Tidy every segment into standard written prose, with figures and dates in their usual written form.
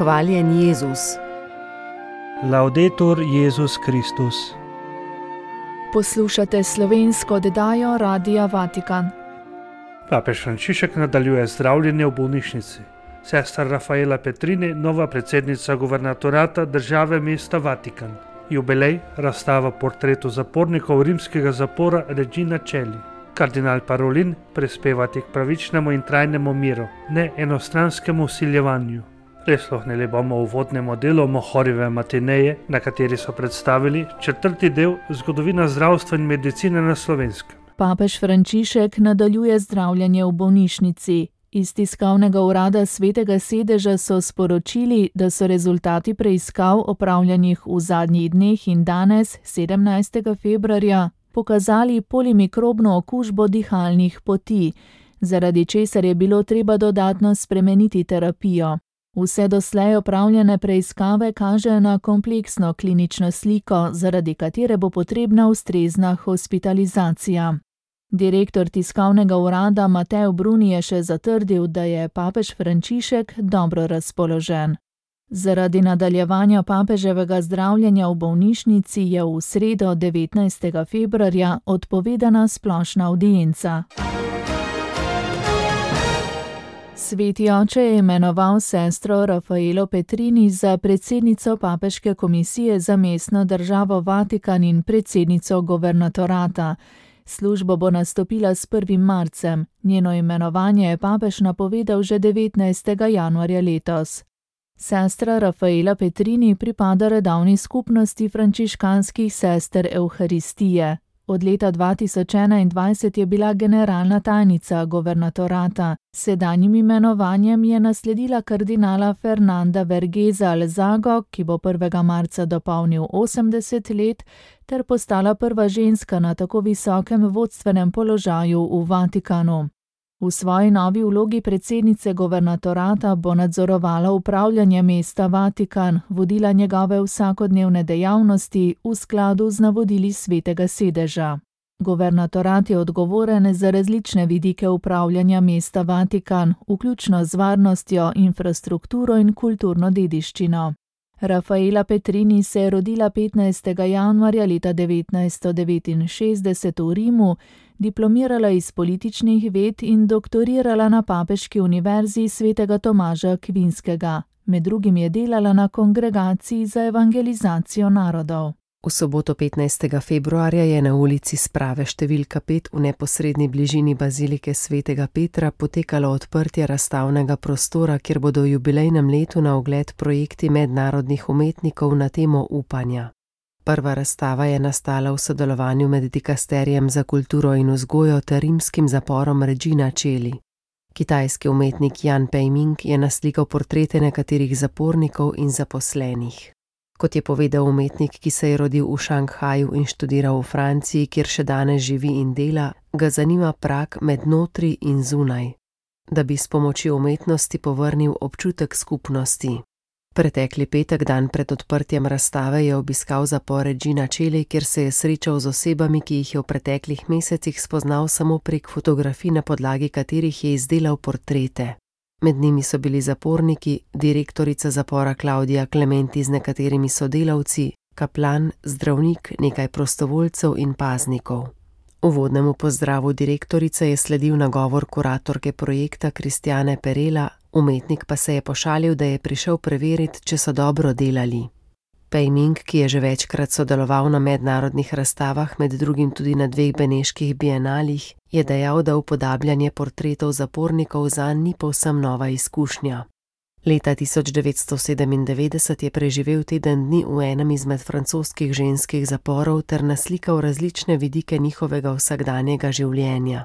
Hvaljen Jezus. Laudetur Jezus Kristus. Poslušate slovensko oddajo Radia Vatikan. Papež Frančišek nadaljuje zdravljenje v bolnišnici. Sestra Rafaela Petrini, nova predsednica guvernatorata države mesta Vatikan. Jubilej, razstava portretov zapornikov rimskega zapora Regina Coeli. Kardinal Parolin prispevati k pravičnemu in trajnemu miru, ne enostranskemu vsiljevanju. Prisluhnili bomo uvodnemu delu Mohorjeve matineje, na kateri so predstavili četrti del Zgodovina zdravstva in medicine na Slovenskem. Papež Frančišek nadaljuje zdravljenje v bolnišnici. Iz tiskovnega urada Svetega sedeža so sporočili, da so rezultati preiskav opravljenih v zadnjih dneh in danes, 17. februarja, pokazali polimikrobno okužbo dihalnih poti, zaradi česar je bilo treba dodatno spremeniti terapijo. Vse doslej opravljene preiskave kažejo na kompleksno klinično sliko, zaradi katere bo potrebna ustrezna hospitalizacija. Direktor tiskovnega urada Mateo Bruni je še zatrdil, da je papež Frančišek dobro razpoložen. Zaradi nadaljevanja papeževega zdravljenja v bolnišnici je v sredo 19. februarja odpovedana splošna avdienca. Sveti oče je imenoval sestro Rafaelo Petrini za predsednico Papeške komisije za mestno državo Vatikan in predsednico guvernatorata. Službo bo nastopila s 1. marcem. Njeno imenovanje je papež napovedal že 19. januarja letos. Sestra Rafaela Petrini pripada redovni skupnosti frančiškanskih sester Evharistije. Od leta 2021 je bila generalna tajnica guvernatorata. Sedanjim imenovanjem je nasledila kardinala Fernanda Vergeza Alzago, ki bo 1. marca dopolnil 80 let, ter postala prva ženska na tako visokem vodstvenem položaju v Vatikanu. V svoji novi vlogi predsednice guvernatorata bo nadzorovala upravljanje mesta Vatikan, vodila njegove vsakodnevne dejavnosti v skladu z navodili Svetega sedeža. Guvernatorat je odgovoren za različne vidike upravljanja mesta Vatikan, vključno z varnostjo, infrastrukturo in kulturno dediščino. Rafaela Petrini se je rodila 15. januarja leta 1969 v Rimu, diplomirala iz političnih ved in doktorirala na Papeški univerzi svetega Tomaža Akvinskega. Med drugim je delala na Kongregaciji za evangelizacijo narodov. V soboto 15. februarja je na ulici Sprave številka 5 v neposredni bližini bazilike svetega Petra potekalo odprtje razstavnega prostora, kjer bodo v jubilejnem letu na ogled projekti mednarodnih umetnikov na temo upanja. Prva razstava je nastala v sodelovanju med Dikasterijem za kulturo in vzgojo ter rimskim zaporom Regina Coeli. Kitajski umetnik Jan Peiming je naslikal portrete nekaterih zapornikov in zaposlenih. Kot je povedal umetnik, ki se je rodil v Šanghaju in študiral v Franciji, kjer še danes živi in dela, ga zanima prag med notri in zunaj, da bi s pomočjo umetnosti povrnil občutek skupnosti. Pretekli petek, dan pred odprtjem razstave, je obiskal zapor Regina Coeli, kjer se je srečal z osebami, ki jih je v preteklih mesecih spoznal samo prek fotografij, na podlagi katerih je izdelal portrete. Med njimi so bili zaporniki, direktorica zapora Klaudija Klementi z nekaterimi sodelavci, kaplan, zdravnik, nekaj prostovoljcev in paznikov. Uvodnemu pozdravu direktorice je sledil nagovor kuratorke projekta Kristjane Perela, umetnik pa se je pošalil, da je prišel preveriti, če so dobro delali. Peiming, ki je že večkrat sodeloval na mednarodnih razstavah, med drugim tudi na 2 beneških bienalih, je dejal, da upodabljanje portretov zapornikov zanj ni povsem nova izkušnja. Leta 1997 je preživel teden dni v enem izmed francoskih ženskih zaporov ter naslikal različne vidike njihovega vsakdanjega življenja.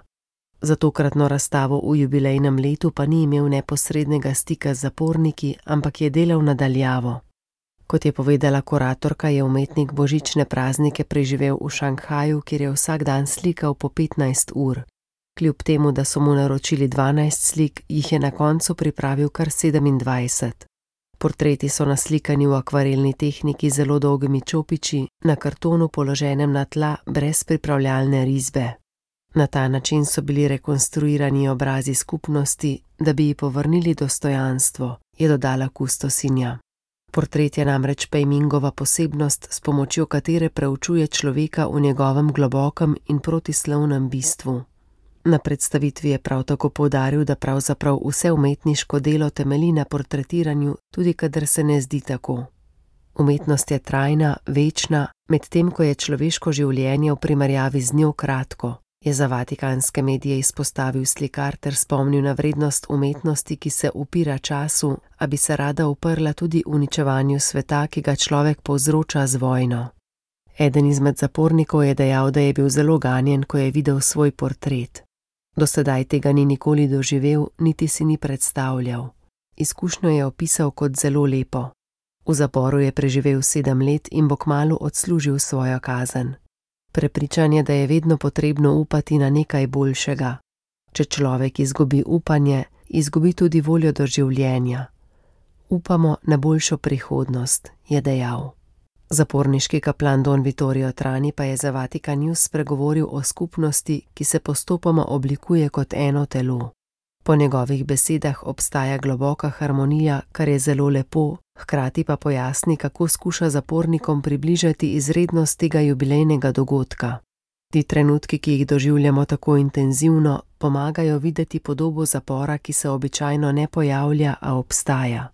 Za tokratno razstavo v jubilejnem letu pa ni imel neposrednega stika z zaporniki, ampak je delal nadaljavo. Kot je povedala kuratorka, je umetnik božične praznike preživel v Šanghaju, kjer je vsak dan slikal po 15 ur. Kljub temu, da so mu naročili 12 slik, jih je na koncu pripravil kar 27. Portreti so naslikani v akvarelni tehniki z zelo dolgimi čopiči, na kartonu položenem na tla brez pripravljalne risbe. Na ta način so bili rekonstruirani obrazi skupnosti, da bi ji povrnili dostojanstvo, je dodala kustosinja. Portret je namreč Pejmingova posebnost, s pomočjo katere preučuje človeka v njegovem globokem in protislovnem bistvu. Na predstavitvi je prav tako poudaril, da pravzaprav vse umetniško delo temelji na portretiranju, tudi kadar se ne zdi tako. Umetnost je trajna, večna, medtem ko je človeško življenje v primerjavi z njo kratko, je za vatikanske medije izpostavil slikar ter spomnil na vrednost umetnosti, ki se upira času, a bi se rada uprla tudi uničevanju sveta, ki ga človek povzroča z vojno. Eden izmed zapornikov je dejal, da je bil zelo ganjen, ko je videl svoj portret. Do sedaj tega ni nikoli doživel, niti si ni predstavljal. Izkušnjo je opisal kot zelo lepo. V zaporu je preživel 7 let in bo kmalu odslužil svojo kazen. Prepričan je, da je vedno potrebno upati na nekaj boljšega. Če človek izgubi upanje, izgubi tudi voljo do življenja. Upamo na boljšo prihodnost, je dejal. Zaporniški kaplan Don Vittorio Trani pa je za Vatikan News spregovoril o skupnosti, ki se postopoma oblikuje kot eno telo. Po njegovih besedah obstaja globoka harmonija, kar je zelo lepo, hkrati pa pojasni, kako skuša zapornikom približati izrednost tega jubilejnega dogodka. Ti trenutki, ki jih doživljamo tako intenzivno, pomagajo videti podobo zapora, ki se običajno ne pojavlja, a obstaja.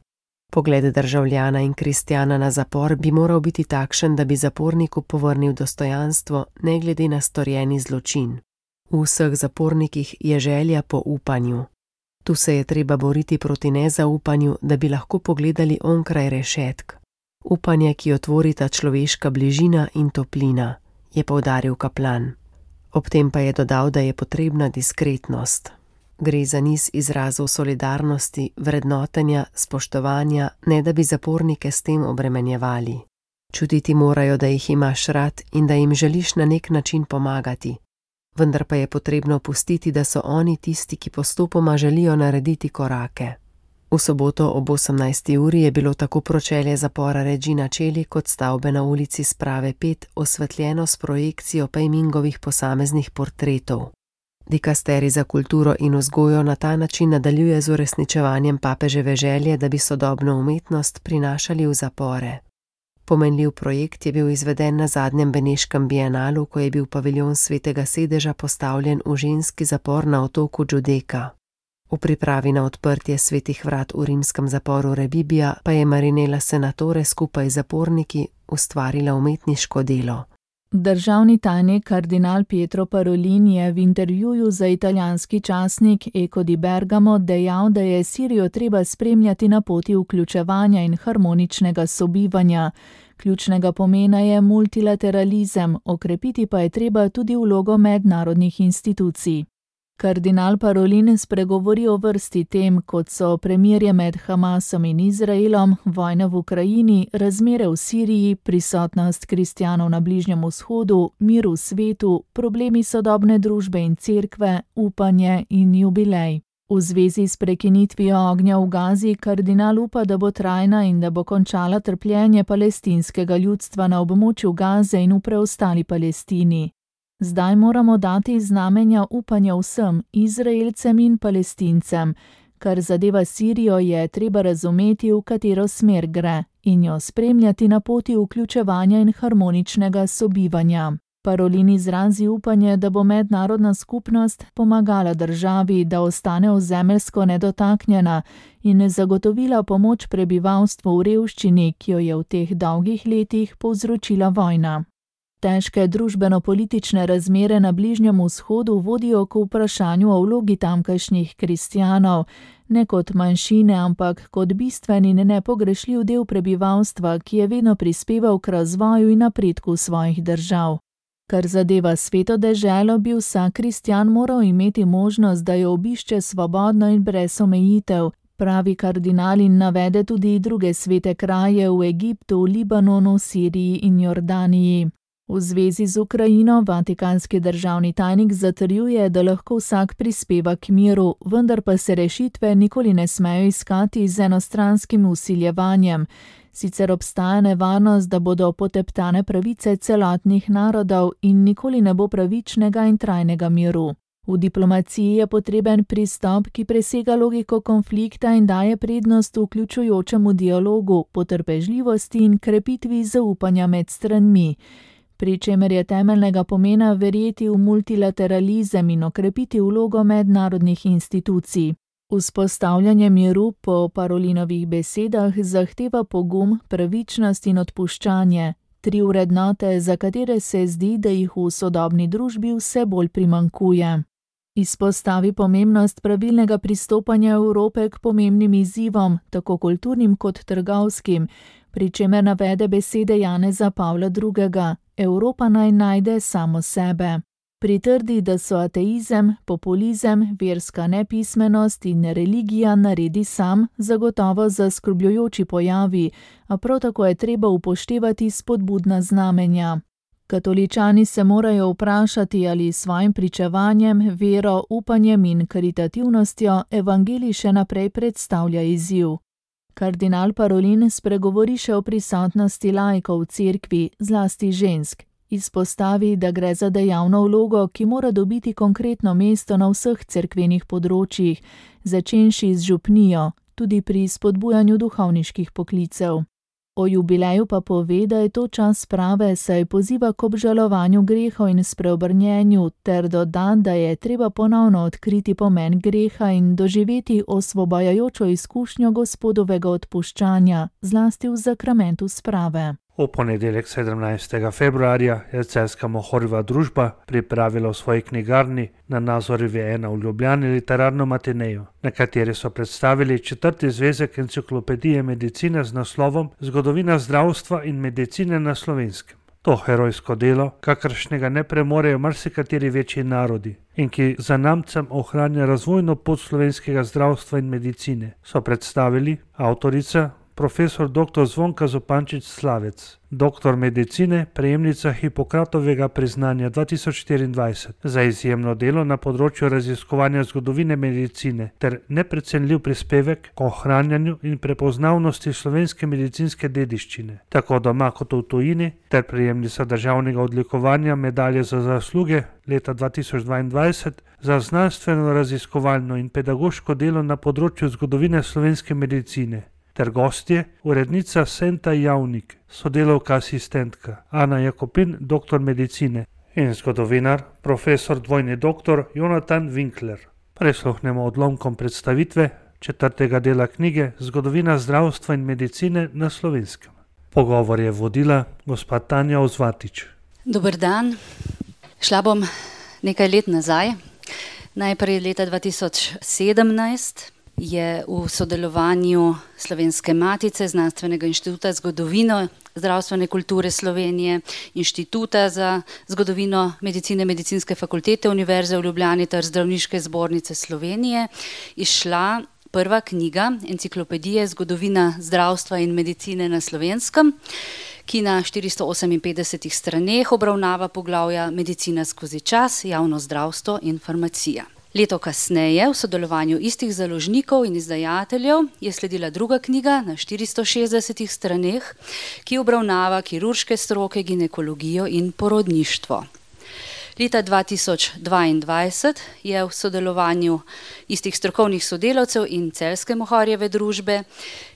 Pogled državljana in kristjana na zapor bi moral biti takšen, da bi zaporniku povrnil dostojanstvo, ne glede na storjeni zločin. V vseh zapornikih je želja po upanju. Tu se je treba boriti proti nezaupanju, da bi lahko pogledali onkraj rešetk. Upanje, ki jo tvorita človeška bližina in toplina, je poudaril kaplan. Ob tem pa je dodal, da je potrebna diskretnost. Gre za niz izrazov solidarnosti, vrednotenja, spoštovanja, ne da bi zapornike s tem obremenjevali. Čutiti morajo, da jih imaš rad in da jim želiš na nek način pomagati. Vendar pa je potrebno pustiti, da so oni tisti, ki postopoma želijo narediti korake. V soboto ob 18. uri je bilo tako pročelje zapora Regina Coeli kot stavbe na ulici Sprave 5 osvetljeno s projekcijo Pejmingovih posameznih portretov. Dikasterij za kulturo in vzgojo na ta način nadaljuje z uresničevanjem papeževe želje, da bi sodobno umetnost prinašali v zapore. Pomenljiv projekt je bil izveden na zadnjem beneškem bienalu, ko je bil paviljon Svetega sedeža postavljen v ženski zapor na otoku Giudecca. V pripravi na odprtje svetih vrat v rimskem zaporu Rebibbia pa je Marinella Senatore skupaj z zaporniki ustvarila umetniško delo. Državni tajnik kardinal Pietro Parolin je v intervjuju za italijanski časnik Eco di Bergamo dejal, da je Sirijo treba spremljati na poti vključevanja in harmoničnega sobivanja. Ključnega pomena je multilateralizem, okrepiti pa je treba tudi vlogo mednarodnih institucij. Kardinal Parolin spregovori o vrsti tem, kot so premirje med Hamasom in Izraelom, vojna v Ukrajini, razmere v Siriji, prisotnost kristjanov na Bližnjem vzhodu, mir v svetu, problemi sodobne družbe in cerkve, upanje in jubilej. V zvezi s prekinitvijo ognja v Gazi kardinal upa, da bo trajna in da bo končala trpljenje palestinskega ljudstva na območju Gaze in v preostali Palestini. Zdaj moramo dati znamenja upanja vsem, Izraelcem in Palestincem. Kar zadeva Sirijo, je treba razumeti, v katero smer gre, in jo spremljati na poti vključevanja in harmoničnega sobivanja. Parolin izrazi upanje, da bo mednarodna skupnost pomagala državi, da ostane ozemeljsko nedotaknjena in zagotovila pomoč prebivalstvu v revščini, ki jo je v teh dolgih letih povzročila vojna. Težke družbeno-politične razmere na Bližnjem vzhodu vodijo k vprašanju o vlogi tamkajšnjih kristjanov, ne kot manjšine, ampak kot bistven in nepogrešljiv del prebivalstva, ki je vedno prispeval k razvoju in napredku svojih držav. Kar zadeva sveto deželo, bi vsak kristjan moral imeti možnost, da jo obišče svobodno in brez omejitev, pravi kardinal in navede tudi druge svete kraje v Egiptu, Libanonu, Siriji in Jordaniji. V zvezi z Ukrajino vatikanski državni tajnik zatrjuje, da lahko vsak prispeva k miru, vendar pa se rešitve nikoli ne smejo iskati z enostranskim vsiljevanjem. Sicer obstaja nevarnost, da bodo poteptane pravice celotnih narodov in nikoli ne bo pravičnega in trajnega miru. V diplomaciji je potreben pristop, ki presega logiko konflikta in daje prednost vključujočemu dialogu, potrpežljivosti in krepitvi zaupanja med stranmi, pri čemer je temeljnega pomena verjeti v multilateralizem in okrepiti vlogo mednarodnih institucij. Vzpostavljanje miru po Parolinovih besedah zahteva pogum, pravičnost in odpuščanje, 3 vrednote, za katere se zdi, da jih v sodobni družbi vse bolj primanjkuje. Izpostavi pomembnost pravilnega pristopanja Evrope k pomembnim izzivom, tako kulturnim kot trgovskim, pri čemer navede besede Janeza Pavla II. Evropa naj najde samo sebe. Pritrdi, da so ateizem, populizem, verska nepismenost in religija naredi sam zagotovo zaskrbljujoči pojavi, a prav tako je treba upoštevati spodbudna znamenja. Katoličani se morajo vprašati, ali s svojim pričevanjem, vero, upanjem in karitativnostjo evangelij še naprej predstavlja izziv. Kardinal Parolin spregovori še o prisotnosti laikov v cerkvi, zlasti žensk. Izpostavi, da gre za dejavno vlogo, ki mora dobiti konkretno mesto na vseh cerkvenih področjih, začenši z župnijo, tudi pri spodbujanju duhovniških poklicev. O jubileju pa pove, da je to čas sprave, saj poziva k obžalovanju grehov in spreobrnjenju, ter doda, da je treba ponovno odkriti pomen greha in doživeti osvobajajočo izkušnjo Gospodovega odpuščanja, zlasti v zakramentu sprave. V ponedeljek 17. februarja je celjska Mohorjeva družba pripravila v svoji knjigarni na Nazorjevi 1 v Ljubljani literarno matinejo, na kateri so predstavili 4. zvezek enciklopedije medicine z naslovom Zgodovina zdravstva in medicine na Slovenskem. To herojsko delo, kakršnega ne premorejo marsikateri večji narodi in ki zanamcem ohranja razvojno pot slovenskega zdravstva in medicine, so predstavili avtorica profesor dr. Zvonka Zupančič Slavec, doktor medicine, prejemnica Hipokratovega priznanja 2024 za izjemno delo na področju raziskovanja zgodovine medicine ter neprecenljiv prispevek k ohranjanju in prepoznavnosti slovenske medicinske dediščine, tako doma kot v tujini, ter prejemnica državnega odlikovanja medalje za zasluge leta 2022 za znanstveno raziskovalno in pedagoško delo na področju zgodovine slovenske medicine, ter gostje, urednica Senta Javnik, sodelavka asistentka Ana Jakopin, doktor medicine, in zgodovinar, profesor dvojni doktor Jonatan Winkler. Prisluhnemo odlomkom predstavitve 4. dela knjige Zgodovina zdravstva in medicine na Slovenskem. Pogovor je vodila gospa Tanja Ozvatič. Dober dan. Šla bom nekaj let nazaj. Najprej leta 2017 je v sodelovanju Slovenske matice, Znanstvenega inštituta za zgodovino zdravstvene kulture Slovenije, Inštituta za zgodovino medicine, Medicinske fakultete Univerze v Ljubljani ter Zdravniške zbornice Slovenije izšla prva knjiga enciklopedije Zgodovina zdravstva in medicine na Slovenskem, ki na 458 straneh obravnava poglavja Medicina skozi čas, javno zdravstvo in farmacija. Leto kasneje, v sodelovanju istih založnikov in izdajateljev, je sledila druga knjiga na 460 straneh, ki obravnava kirurške stroke, ginekologijo in porodništvo. Leta 2022 je v sodelovanju istih strokovnih sodelavcev in celjske Mohorjeve družbe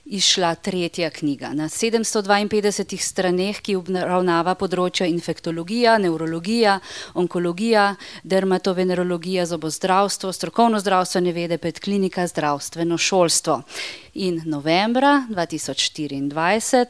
izšla tretja knjiga na 752 straneh, ki obravnava področja infektologija, nevrologija, onkologija, dermatovenerologija, zobozdravstvo, strokovno zdravstvene vede, pedklinika, zdravstveno šolstvo. In novembra 2024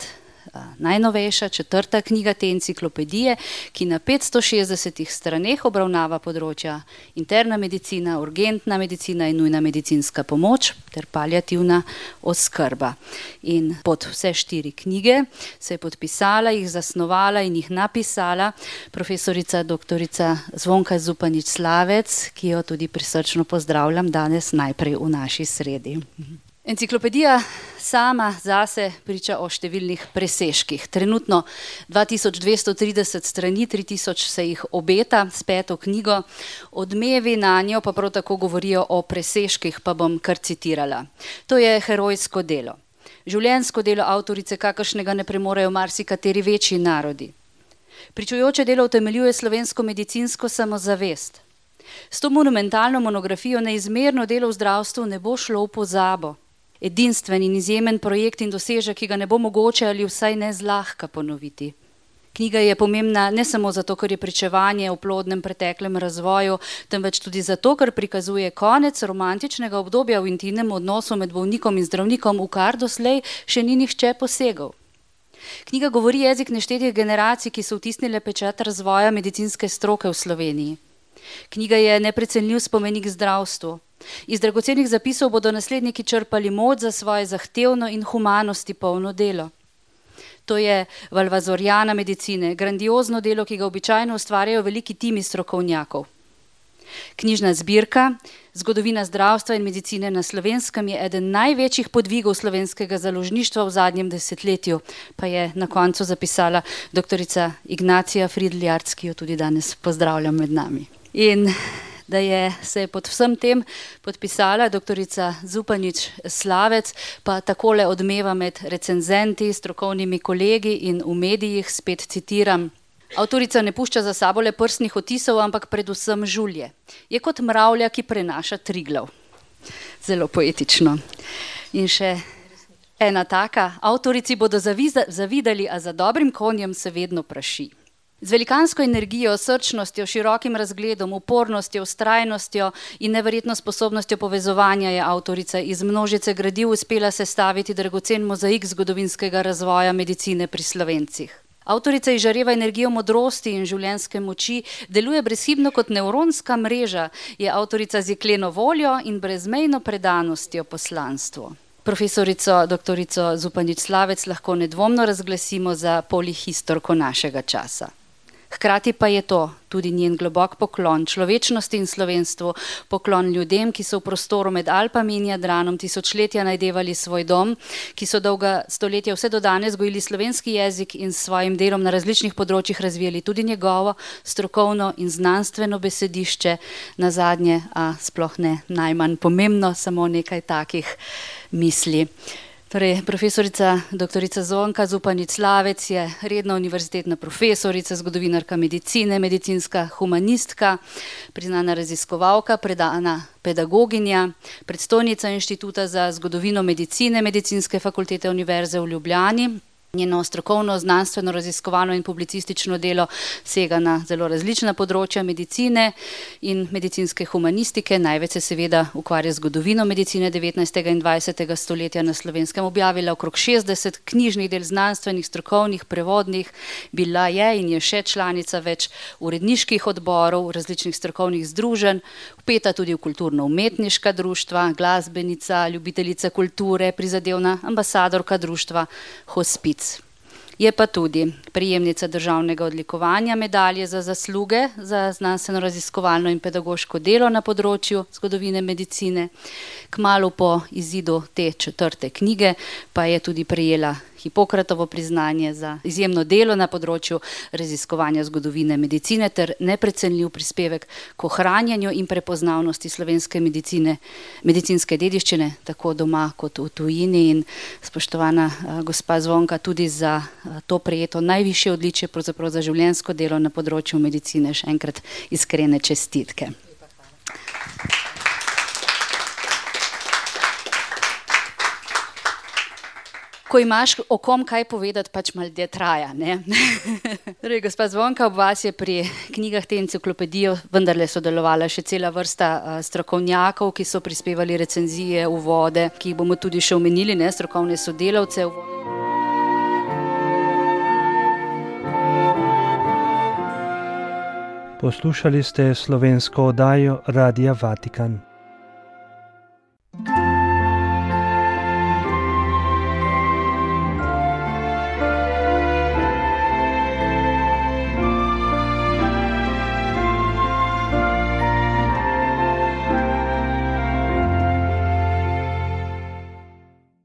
najnovejša 4. knjiga te enciklopedije, ki na 560 straneh obravnava področja interna medicina, urgentna medicina in nujna medicinska pomoč ter paliativna oskrba. In pod vse 4 knjige se je podpisala, jih zasnovala in jih napisala profesorica doktorica Zvonka Zupančič Slavec, ki jo tudi prisrčno pozdravljam danes najprej v naši sredi. Enciklopedija sama zase priča o številnih presežkih. Trenutno 2230 strani, 3000 se jih obeta s 5. knjigo. Odmevi na njo pa prav tako govorijo o presežkih, pa bom kar citirala. To je herojsko delo. Življenjsko delo avtorice, kakršnega ne premorejo marsikateri večji narodi. Pričujoče delo utemeljuje slovensko medicinsko samozavest. S to monumentalno monografijo neizmerno delo v zdravstvu ne bo šlo v pozabo. Edinstven in izjemen projekt in dosežek, ki ga ne bo mogoče ali vsaj ne zlahka ponoviti. Knjiga je pomembna ne samo zato, ker je pričevanje o plodnem preteklem razvoju, temveč tudi zato, ker prikazuje konec romantičnega obdobja v intimnem odnosu med bolnikom in zdravnikom, v kar doslej še ni nihče posegel. Knjiga govori jezik neštetih generacij, ki so vtisnile pečat razvoja medicinske stroke v Sloveniji. Knjiga je neprecenljiv spomenik zdravstvu. Iz dragocenih zapisov bodo nasledniki črpali moč za svoje zahtevno in humanosti polno delo. To je Valvazorjana medicine, grandiozno delo, ki ga običajno ustvarjajo veliki timi strokovnjakov. Knjižna zbirka Zgodovina zdravstva in medicine na Slovenskem je eden največjih podvigov slovenskega založništva v zadnjem desetletju, pa je na koncu zapisala doktorica Ignacija Fridl-Jarc, ki jo tudi danes pozdravljam med nami. In da se je pod vsem tem podpisala doktorica Zupanič Slavec, pa takole odmeva med recenzenti, strokovnimi kolegi in v medijih, spet citiram. Avtorica ne pušča za sabo le prstnih odtisov, ampak predvsem žulje. Je kot mravlja, ki prenaša Triglav. Zelo poetično. In še ena taka. Avtorici bodo zavidali, a za dobrim konjem se vedno praši. Z velikansko energijo, srčnostjo, širokim razgledom, upornostjo, vztrajnostjo in neverjetno sposobnostjo povezovanja je avtorica iz množice gradiv uspela sestaviti dragocen mozaik zgodovinskega razvoja medicine pri Slovencih. Avtorica izžareva energijo modrosti in življenjske moči, deluje brezhibno kot nevronska mreža, je avtorica z jekleno voljo in brezmejno predanostjo poslanstvu. Profesorico doktorico Zupanič Slavec lahko nedvomno razglasimo za polihistorko našega časa. Hkrati pa je to tudi njen globok poklon človečnosti in slovenstvu, poklon ljudem, ki so v prostoru med Alpami in Jadranom tisočletja najdevali svoj dom, ki so dolga stoletja vse do danes gojili slovenski jezik in s svojim delom na različnih področjih razvijali tudi njegovo strokovno in znanstveno besedišče, nazadnje, a sploh ne najmanj pomembno, samo nekaj takih misli. Torej, profesorica doktorica Zvonka Zupanič Slavec je redna univerzitetna profesorica, zgodovinarka medicine, medicinska humanistka, priznana raziskovalka, predana pedagoginja, predstojnica Inštituta za zgodovino medicine Medicinske fakultete Univerze v Ljubljani. Njeno strokovno, znanstveno, raziskovalno in publicistično delo sega na zelo različna področja medicine in medicinske humanistike. Največ se seveda ukvarja z zgodovino medicine 19. in 20. stoletja na Slovenskem. Objavila okrog 60 knjižnih del, znanstvenih, strokovnih, prevodnih. Bila je in je še članica več uredniških odborov, različnih strokovnih združenj, vpeta tudi v kulturno-umetniška društva, glasbenica, ljubiteljica kulture, prizadevna ambasadorka društva Hospic. Je pa tudi prejemnica državnega odlikovanja medalje za zasluge za znanstveno-raziskovalno in pedagoško delo na področju zgodovine medicine. Kmalu po izidu te 4. knjige pa je tudi prejela Hipokratovo priznanje za izjemno delo na področju raziskovanja zgodovine medicine ter neprecenljiv prispevek k ohranjanju in prepoznavnosti slovenske medicine, medicinske dediščine, tako doma kot v tujini. In spoštovana gospa Zvonka, tudi za to prejeto najvišje odličje, pravzaprav za življenjsko delo na področju medicine, še enkrat iskrene čestitke. Ko imaš o kom kaj povedati, pač malo dlje traja, ne? Torej, gospa Zvonka, ob vas je pri knjigah te enciklopedije vendarle sodelovala še cela vrsta strokovnjakov, ki so prispevali recenzije, uvode, ki jih bomo tudi še omenili, ne, strokovne sodelavce. Poslušali ste slovensko oddajo Radia Vatikan.